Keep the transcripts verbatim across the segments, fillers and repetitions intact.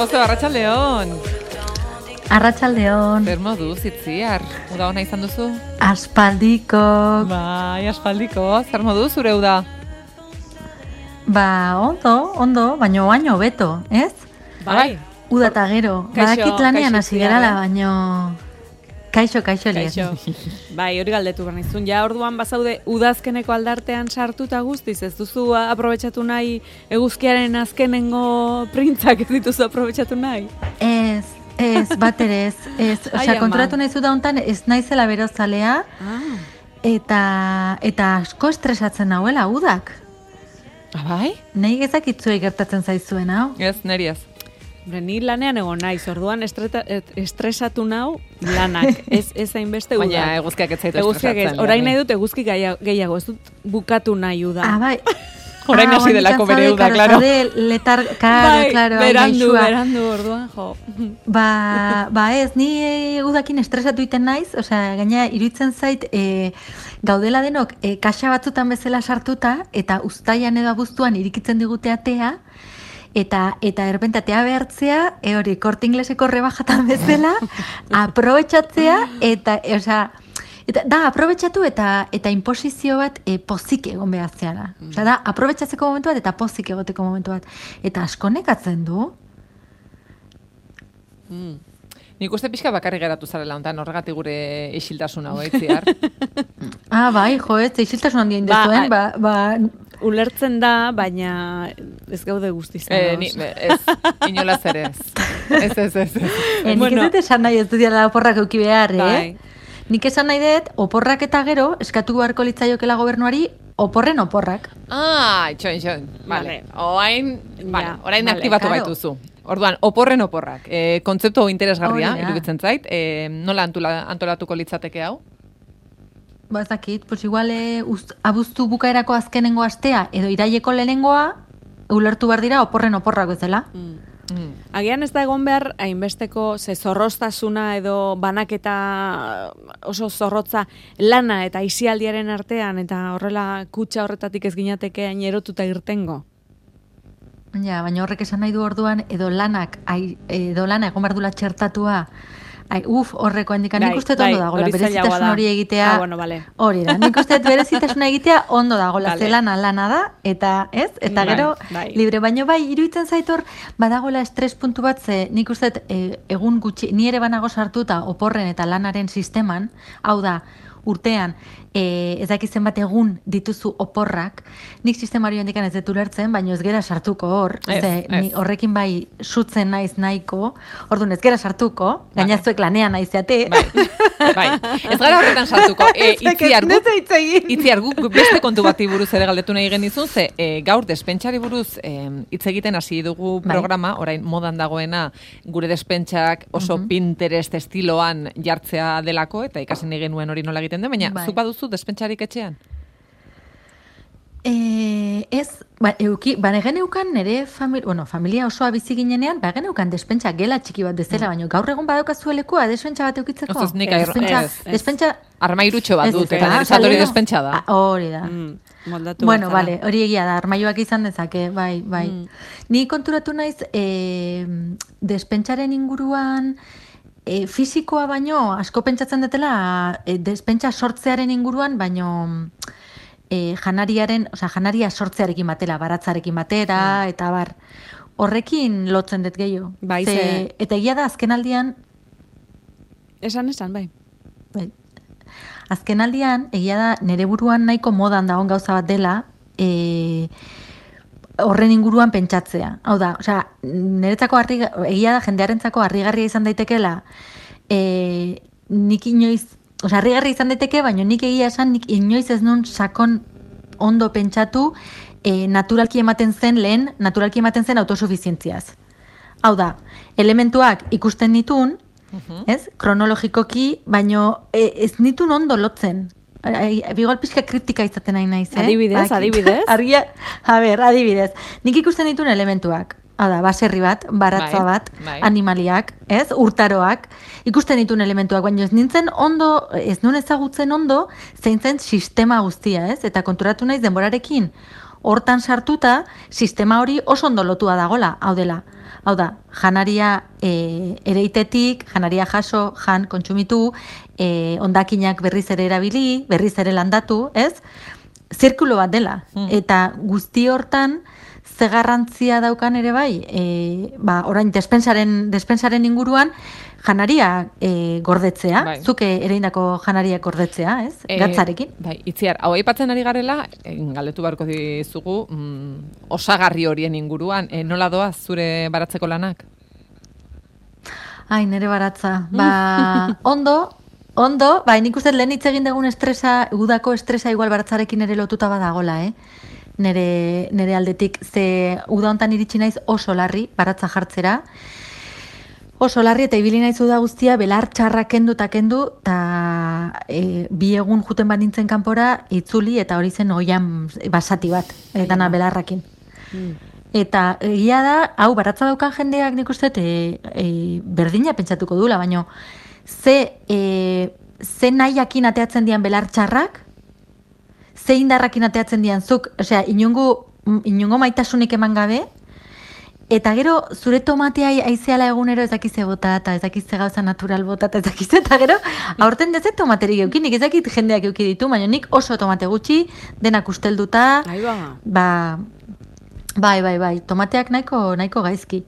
Gozo, arratsaldeon. Arratsaldeon. Zer moduz, itziar? Uda hona izan duzu? Aspaldiko. Bai, aspaldiko. Zer moduz, zure uda? Ba, ondo, ondo, baino baino beto, ez? Bai. Uda eta gero. Badakit lanean hasi gerala, baino... Kaixo, kaixo, kaixo. Bai, hori galdetu behar nizun. Ja, orduan bazaude udazkeneko aldartean sartuta guztiz, ez duzu aprobetxatu nahi eguzkiaren azkenengo printzak ez dituzu aprobetxatu nahi? Ez, ez, bat ere ez. ez. Osea, konturatu nahi zu da hontan ez naizela berozalea, ah. eta, eta asko estresatzen nahuela udak. Ah, bai? Nei gezakitzuei gertatzen zaizuen, hau? Ez, neri ez. Ni lanean egon naiz, orduan estreta, estresatu nau lanak, ez ez hainbeste uda. Baina eguzkiak ez zaitu estresatzen. Orain nahi dut eguzki gehiago, ez dut bukatu nahi uda. Ah, bai. Orain hasi delako bere uda, klaro. Letar, karo, klaro, berandu, berandu, orduan, jo. Ba, ba ez, ni udakin estresatu iten naiz, osea, gaina iruditzen zait, e, gaudela denok, e, kaxa batzutan bezala sartuta, eta uztaian edo abuztuan irikitzen digute atea, Eta, eta erpentatea behartzea, e hori, Korte Ingleseko rebajatan bezala, aprobetxatzea, eta, osea, eta, da, aprobetxatu eta eta inposizio bat e, pozik egon behaztea da. Mm. Osea, da, aprobetxatzeko momentu bat eta pozik egoteko momentu bat. Eta asko nekatzen du. Mm. Nik uste pixka bakarri geratu zarela hontan, horregatik gure isiltasuna hoitziar. Ah, bai, jo, ez, isiltasun handien dezuen, ba, ba, ulertzen da, baina ez gaude guztiz. Eh, ni, ez, inolaz ere ez. Ez, ez, ez. ez. Eh, nik ez dut esan nahi ez dut diala oporrak euki behar, eh? Nik esan nahi dut, oporrak eta gero, eskatu beharko litzaiokela gobernuari, oporren oporrak. Ah, itxoin, itxoin. Vale. Orain, vale, orain vale, aktibatu claro. Baituzu. Orduan, oporren oporrak. E, kontzeptu interesgarria, iruditzen zait. E, nola antula, antolatuko litzateke hau? Ba, ez dakit, pues igual e, ust, abuztu bukaerako azkenengo astea, edo iraileko lehenengoa, ulertu behar dira oporren oporrak bezala. Mm. Mm. Agian ez da egon behar, hainbesteko ze zorroztasuna edo banaketa oso zorrotza lana eta isialdiaren artean, eta horrela kutsa horretatik ez ginateke hain erotuta irtengo. Ja, baina horrek esan nahi du orduan, edo lanak, ai, edo lana egon behar dula txertatua, ai, uf, horreko handikan, nik uste ondo dagoela, berezitasun hori egitea, ah, bueno, vale. hori da, nik uste berezitasuna egitea ondo dagoela, vale. Zelana lana da, eta ez, eta gero, bai, bai. Libre, baino bai, iruditzen zaitor, badagoela estres puntu bat, ze nik uste e, egun gutxi, ni ere banago sartuta oporren eta lanaren sisteman, hau da, urtean, e, ez dakizen bat egun dituzu oporrak, nik sistemari handikan ez dut ulertzen, baina ez gera sartuko hor, ez, ze, ez. Ni horrekin bai sutzen naiz nahiko, orduan ez gera sartuko, gainazuek lanean naizeate. Bai, bai, ez gara horretan sartuko. E, itziar guk, itziar guk beste kontu bati buruz ere galdetu nahi genizun, ze e, gaur despentsari buruz hitz e, egiten hasi dugu programa, bai. Orain modan dagoena gure despentsak oso uh-huh. Pinterest estiloan jartzea delako, eta ikasen nahi genuen hori nola egiten den, baina bai. Zupa duzu despentsarik etxean? Eh, ez, ba, euki, ba, negen eukan nire familia, bueno, familia osoa bizi ginenean, ba, gen eukan despentsa gela txiki bat dezela, mm. baina gaur egun badaukazuelekua despentsa bat eukitzeko. Oz, nik air, despentsa, ez, ez. Despentsa, armairutxo bat dut, eta nire zatori despentsa da. Hori da. Mm, moldatu bueno, vale, hori egia da, armaioak izan dezake, bai, bai. Mm. Ni konturatu naiz, eh, despentsaren inguruan, E, fisikoa baino, asko pentsatzen dutela, e, despentsa sortzearen inguruan, baino e, janariaren, osea, janaria sortzearekin batera, baratzarekin batera, mm. eta bar, horrekin lotzen dut gehiago. Bai, ze... Eta egia da, azkenaldian... Esan, esan, bai. bai. Azkenaldian, egia da, nere buruan nahiko modan dagoen gauza bat dela, e, horren inguruan pentsatzea. Hau da, osea, niretzako harri, egia da jendearentzako harrigarria izan daitekeela, e, nik inoiz, osea, harrigarria izan daiteke, baina nik egia esan, nik inoiz ez nun sakon ondo pentsatu, e, naturalki ematen zen lehen, naturalki ematen zen autosufizientziaz. Hau da, elementuak ikusten nitun, uh-huh. ez, kronologikoki, baina e, ez nitun ondo lotzen. Bigol pixka kritika izaten nahi naiz, eh? Adibidez, Bak, adibidez. Argia, a ber, adibidez. Nik ikusten dituen elementuak. Hau da, baserri bat, baratza bai, bat, bai. Animaliak, ez? Urtaroak. Ikusten dituen elementuak, baina ez nintzen ondo, ez nun ezagutzen ondo, zein zen sistema guztia, ez? Eta konturatu naiz denborarekin hortan sartuta, sistema hori oso ondo lotua dagola, hau dela. Hau da, janaria e, ereitetik, janaria jaso, jan, kontsumitu, e, ondakinak berriz ere erabili, berriz ere landatu, ez? Zirkulo bat dela. Hmm. Eta guzti hortan, ze garrantzia daukan ere bai, e, ba, orain despensaren, despensaren inguruan, janaria e, gordetzea, bai. Zuke ereindako janaria gordetzea, ez? E, Gatzarekin. Bai, Itziar, hau aipatzen ari garela, e, galdetu barko dizugu, mm, osagarri horien inguruan, e, nola doa zure baratzeko lanak? Ai, nere baratza. Ba, ondo, ondo, bai, nik uste lehen hitz egin dugun estresa, udako estresa igual baratzarekin ere lotuta badagola, eh? Nere, nere aldetik, ze uda hontan iritsi naiz oso larri, baratza jartzera, oso larri eta ibili naiz uda guztia, belar txarra kendu eta kendu, eta e, bi egun juten bat nintzen kanpora, itzuli eta hori zen oian basati bat, dana belarrakin. Mm. Eta egia da, hau baratza daukan jendeak nik uste, e, e, berdina pentsatuko dula, baina ze, e, ze nahiakin ateatzen dian belar txarrak, ze indarrakin ateatzen dian zuk, osea, inungo, inungo maitasunik eman gabe, eta gero zure tomatea aizeala egunero ezakize bota, eta ezakize gauza natural bota, eta ezakize, eta gero aurten dezet tomaterik eukin, nik ezakit jendeak euki ditu, baina nik oso tomate gutxi, denak ustelduta, ba, bai, bai, bai, tomateak nahiko, nahiko gaizki.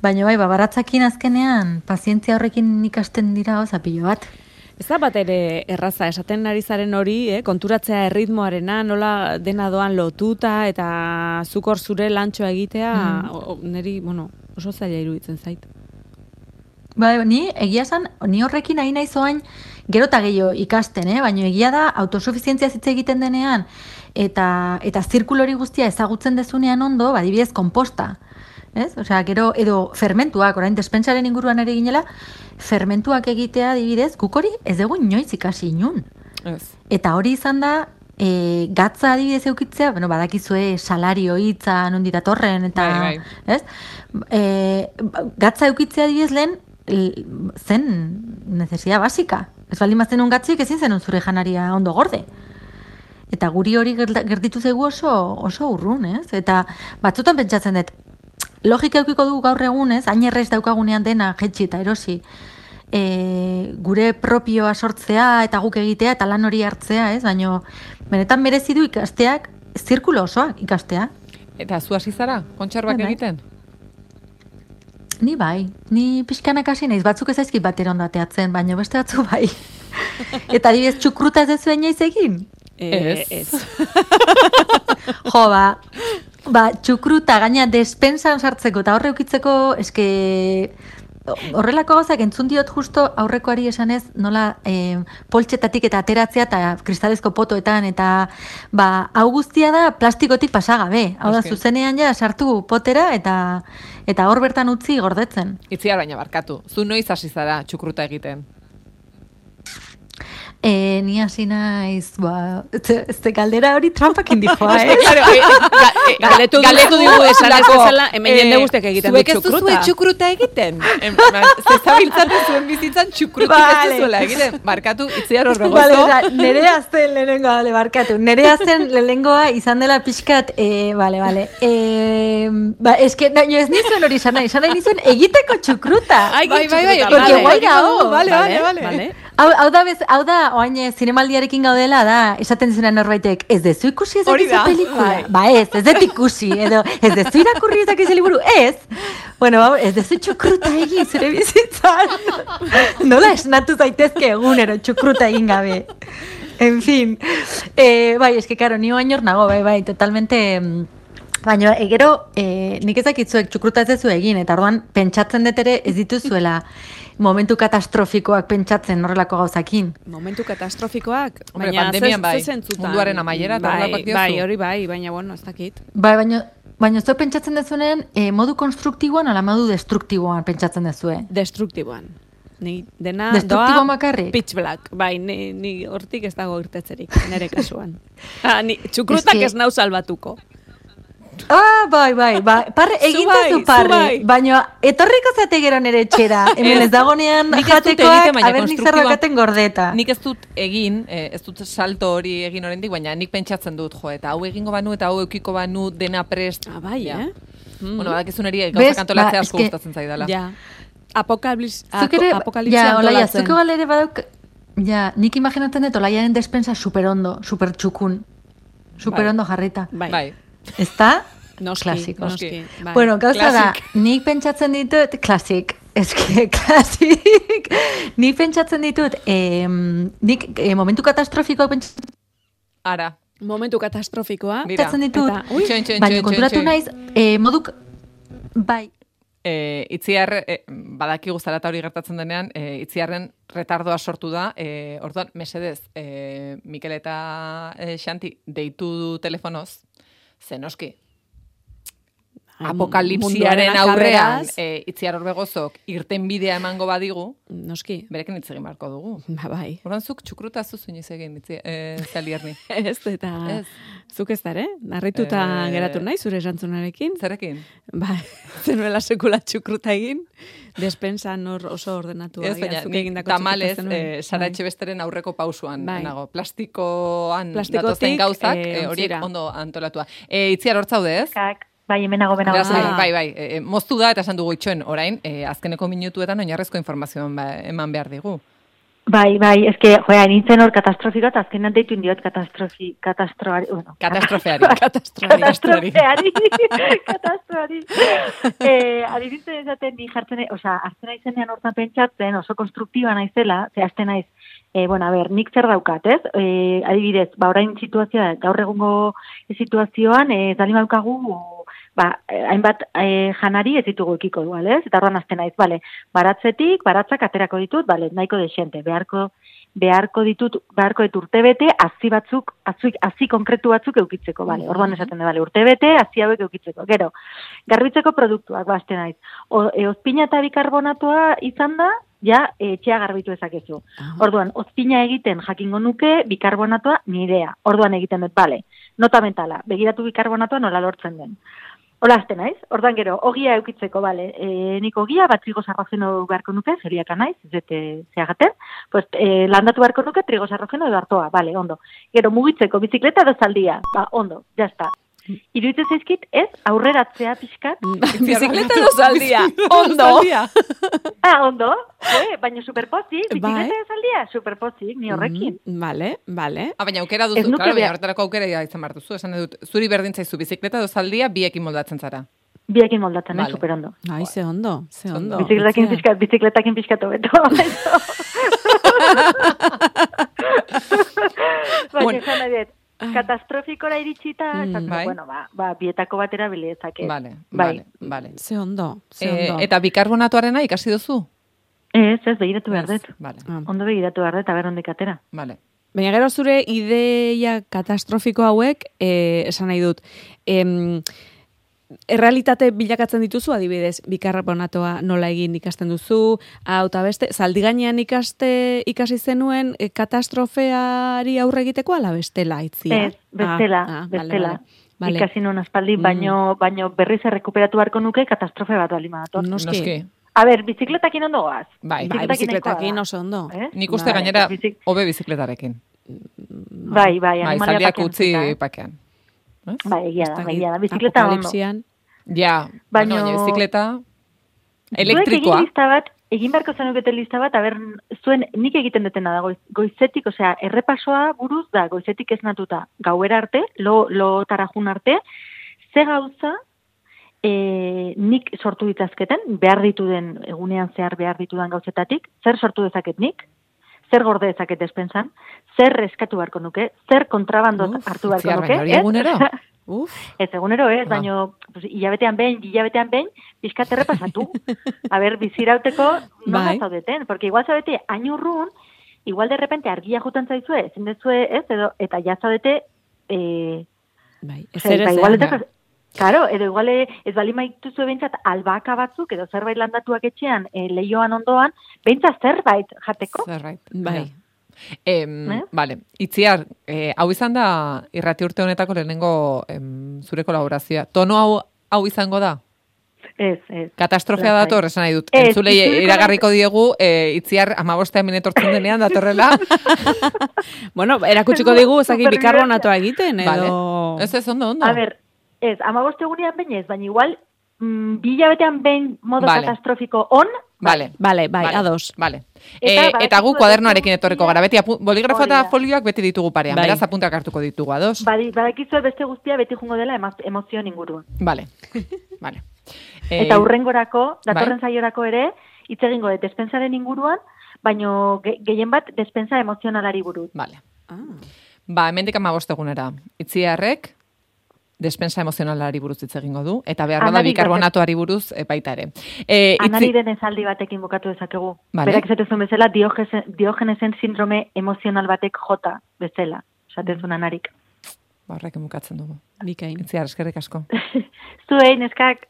Baina bai, ba, baratzakin azkenean, pazientzia horrekin ikasten dira gauza pilo bat. Ez da bat ere erraza, esaten ari zaren hori, eh, konturatzea erritmoarena, nola dena doan lotuta, eta zukor zure lantxoa egitea, mm. o, niri, bueno, oso zaila iruditzen zait. Ba, ni, egia zan, ni horrekin nahi nahi zoain, gero eta gehiago ikasten, eh? Baina egia da, autosufizientzia zitze egiten denean, eta, eta zirkulori guztia ezagutzen dezunean ondo, badibidez, komposta. Ez? Osea, gero, edo fermentuak, orain despensaren inguruan ere ginela, fermentuak egitea adibidez, guk hori ez dugu inoiz ikasi inun. Ez. Eta hori izan da, e, gatza adibidez eukitzea, bueno, badakizue salario hitza nondi datorren, eta, bai, bai. ez? E, gatza eukitzea adibidez lehen, zen necesidad basika. Ez baldin bazten un gatzik ezin zenun zure janaria ondo gorde. Eta guri hori gerditu zaigu oso, oso urrun, ez? Eta batzutan pentsatzen dut, logika eukiko dugu gaur egunez, hain errez daukagunean dena jetxi eta erosi, e, gure propioa sortzea eta guk egitea eta lan hori hartzea, ez? Baina benetan merezi du ikasteak, zirkulo osoa ikastea. Eta zu hasi zara, kontserbak bai, egiten? Ni bai, ni pixkanak hasi naiz, batzuk ez aizkit batera ondateatzen, baina beste batzu bai. Eta adibidez txukruta ez dezu inoiz egin? Ez. Ez. Jo, ba, ba, txukruta gaina despensan sartzeko eta horre ukitzeko, eske horrelako gauzak entzun diot justo aurrekoari esanez nola e, poltsetatik eta ateratzea eta kristalezko potoetan eta ba, hau guztia da plastikotik pasagabe. Hau da, zuzenean ja sartu potera eta eta hor bertan utzi gordetzen. Itziar baina barkatu, zu noiz hasi zara txukruta egiten? E, ni hasi naiz, ba, ez de galdera hori trampakin dijoa, eh? Galetu dugu esaneko, hemen jende guztiak egiten du txukruta. Zuek ez duzue txukruta egiten? Zezabiltzaten zuen bizitzan txukrutik ez duzuela egiten. Barkatu, Itziar hor begozo. Nere azten lehenengoa, bale, barkatu. Nere azten lehenengoa izan dela pixkat, e, bale, bale. E, ba, eske, no, ez nizuen hori izan nahi, izan nahi nizuen egiteko txukruta. Bai, bai, bai, porque guai gau. Vale, vale, vale. Hau, hau da, bez, hau da, oain zinemaldiarekin gaudela da, esaten dizunean norbaitek, ez dezu ikusi ez dakizu pelikula? Ba ez, ez dut ikusi, edo ez dezu irakurri ez dakizu liburu, ez? Bueno, ez dezu txukruta egin zure bizitzan. Nola esnatu zaitezke egunero txukruta egin gabe. En fin, eh, bai, eske karo, ni oain hor nago, bai, bai, totalmente... Baina, egero, e, nik ezakitzuek txukruta ez dezu egin, eta orduan pentsatzen dut ere ez dituzuela momentu katastrofikoak pentsatzen horrelako gauzakin. Momentu katastrofikoak? Hombre, pandemian bai, munduaren amaiera, eta horrelakoak diozu. Bai, hori bai, baina, bueno, ez dakit. Bai, baina, baina ez pentsatzen dezunen e, modu konstruktiboan ala modu destruktiboan pentsatzen dezue? Destruktiboan. Ni dena doa makarrik? Pitch black. Bai, ni, ni hortik ez dago irtetzerik, nire kasuan. Ah, ni, txukrutak ez nau salbatuko. Ah, bai, bai, bai. Parre, egin duzu parre. Baina, etorriko zate gero nere etxera. Hemen ez dagonean jatekoak, haber nik zer daukaten gordeta. Nik ez dut egin, ez dut salto hori egin oraindik, baina nik pentsatzen dut, jo, eta hau egingo banu, eta hau eukiko banu dena prest. Ah, bai, eh? Bueno, badakizun eri gauzak antolatzea asko gustatzen zaidala. Ja, apokalipsia antolatzen. Ja, Olaia, zuke balere badauk, ja, nik imaginatzen dut Olaiaren despensa superondo, supertxukun, superondo jarrita. Bai. Ezta? Noski, klasiko. Noski. Bai. Bueno, gauza da, nik pentsatzen ditut, klasik, eske, klasik, nik pentsatzen ditut, eh, nik eh, momentu katastrofikoak pentsatzen... Ara. Momentu katastrofikoa. Pentsatzen ditut, eta, ui, txoin, txoin, baina konturatu naiz, eh, moduk, bai, E, itziar, e, badaki guztara eta hori gertatzen denean, e, itziarren retardoa sortu da, e, orduan, mesedez, e, Mikel eta e, Xanti deitu du telefonoz, zenoski, apokalipsiaren aurrean e, itziar horbegozok irten bidea emango badigu, noski, berekin hitz egin beharko dugu. Ba, bai. Orduan, zuk txukruta zuzuiniz egin, itzi, e, Zalierni. Ez, eta ez. Zuk ez dara, narrituta e... geratu nahi, zure esantzunarekin. Zerekin? Ba, zenuela sekula txukruta egin, despensan hor oso ordenatu. Ez, baina, nik tamalez, e, Sara Etxebesteren aurreko pausuan, bai. Nago, plastikoan datozen gauzak, e, horiek ondo antolatua. E, itziar hortzaude, ez? Kak. Bai, hemenago, hemenago. Ah. Bai, bai, e, moztu da eta esan dugu itxoen, orain, e, azkeneko minutuetan oinarrezko informazioan ba, eman behar digu. Bai, bai, eske, joa, nintzen hor katastrofiko, eta azkenan deitu indiot katastrofi, katastroari, bueno. Katastrofeari. Katastrofeari. Katastrofeari. eh, Ari nintzen ezaten, ni jartzen, osea, hartzen naizenean hortan pentsatzen, oso konstruktiba naizela, ze azten naiz, eh, bueno, a ber, nik zer daukat, ez? Eh, adibidez, ba, orain situazioa, gaur egungo situazioan, eh, dali maukagu, ba, hainbat e, janari ez ditugu ekiko dual, ez? Eta horren azten naiz, bale, baratzetik, baratzak aterako ditut, bale, nahiko desente, beharko, beharko ditut, beharko ditut urte bete, hazi batzuk, hazi, hazi konkretu batzuk eukitzeko, bale, orduan esaten da, bale, urte bete, hazi hauek eukitzeko, gero, garbitzeko produktuak, ba, azten naiz, o, e, ozpina eta bikarbonatua izan da, ja, etxea garbitu ezakezu. Orduan, ozpina egiten jakingo nuke, bikarbonatua nirea, orduan egiten dut, bale, nota mentala, begiratu bikarbonatua nola lortzen den. Hola, azte naiz. Ordan gero, ogia eukitzeko, bale, e, nik ogia, bat trigo sarrogeno beharko nuke, zeliaka naiz, zete zeagaten, pues, e, landatu beharko nuke, trigo sarrogeno edo hartoa, bale, ondo. Gero, mugitzeko, bizikleta edo zaldia, ba, ondo, jazta. Iruditzen zaizkit, ez, aurreratzea pixkat. Bizikleta edo zaldia, ondo. Ah, ondo, eh, baina superpozik, bizikleta edo zaldia, superpozik, ni horrekin. Mm, vale, vale. Ah, baina aukera duzu, claro, baina horretarako aukera izan behar duzu, esan dut, zuri berdin zaizu, bizikleta edo zaldia, biekin moldatzen zara. Biekin moldatzen, vale. Super ondo. Ai, ze ondo, ze ondo. Bizikletakin pixkat, bizikletakin pixkat obeto. Baina, esan nahi dut. Katastrofikora iritsita, mm, bai. Bueno, ba, ba, bietako batera bilezake. Vale, bai. vale, vale. Ze ondo, ze ondo. E, eta bikarbonatuarena ikasi duzu? Ez, ez, begiratu behar dut. Vale. Ondo begiratu behar dut, aber ondik atera. Vale. Baina gero zure ideia katastrofiko hauek, eh, esan nahi dut, em, errealitate bilakatzen dituzu, adibidez, bikarbonatoa nola egin ikasten duzu, hau eta beste, zaldi gainean ikaste, ikasi zenuen e, katastrofeari aurre egiteko ala bestela, itzia? Ez, bestela, ah, ah, bestela. Vale, vale. Ikasi nuen aspaldi, mm. baino, baino berriz errekuperatu beharko nuke katastrofe bat bali madator. Noski. Noski. A ber, bizikletakin ondo goaz. Bai, bizikletakin oso ondo. Eh? Nik uste bai, gainera, bizik... hobe bizikletarekin. Bai, bai, bai, zaldiak utzi pakean. Ba, egia da, egia da, bizikleta ondo. Ja, baina bizikleta elektrikoa. Egin lista bat, egin beharko zenuketen lista bat, aber, zuen nik egiten dutena da, goiz, goizetik, osea, errepasoa buruz da, goizetik ez natuta, gauera arte, lo, lo tarajun arte, ze gauza, e, nik sortu ditazketen, behar dituden, egunean zehar behar ditudan gauzetatik, zer sortu dezaket nik, zer gorde dezaket despensan, zer eskatu beharko nuke, zer kontrabandot hartu beharko nuke. Uf, egunero? Uf. Ez egunero ez, baina pues, hilabetean behin, hilabetean behin, pixkat errepasatu. A ber, bizirauteko nola zaudeten, porque igual zaudete ainurrun, igual de repente argia jutan zaizue, ezin dezue ez, edo, eta ja zaudete, eh, bai, ez ere zer. Claro, edo igual ez bali maituzue behintzat albaka batzuk, edo zerbait landatuak etxean, e, lehioan ondoan, behintzat zerbait jateko. Zerbait, bai. Eh, eh? Vale, Itziar, eh, hau izan da irrati urte honetako lehenengo em, zure kolaborazioa. Tono hau, hau izango da? Ez, ez. Katastrofea dator, esan nahi dut. Entzulei iragarriko diegu, e, Itziar amabostean minetortzen denean datorrela. Bueno, erakutsiko digu, ezagik bikarbonatoa egiten, edo... Vale. Ez ez, ondo, ondo. A ber, ez, amaboste egunean behin ez, baina igual, mm, bilabetean behin modo vale. katastrofiko on, Vale, vale, bai, vale. ados. Vale. Eta, e, eta gu kuadernoarekin etorriko gara, beti boligrafo eta folioak beti ditugu parean, bai. Beraz apuntak hartuko ditugu, ados? Bai, badakizu beste guztia beti jungo dela emozioan inguruan. Vale, vale. Eta urrengorako, datorren bai? Saiorako ere, hitz egingo dut despensaren inguruan, baino ge, gehien bat despensa emozionalari buruz. Vale. Ah. Ba, hemendik hamabost egunera. Itziarrek despensa emozionalari buruz hitz egingo du, eta behar da bikarbonatoari buruz e, baita ere. E, itzi... Anariren esaldi batekin bukatu dezakegu. Vale. Berak esatezun bezala, Diogenesen sindrome emozional batek jota bezala. Esatezun anarik. Ba, horrek bukatzen dugu. Bikain. Itziar, eskerrik asko. Zuei, neskak.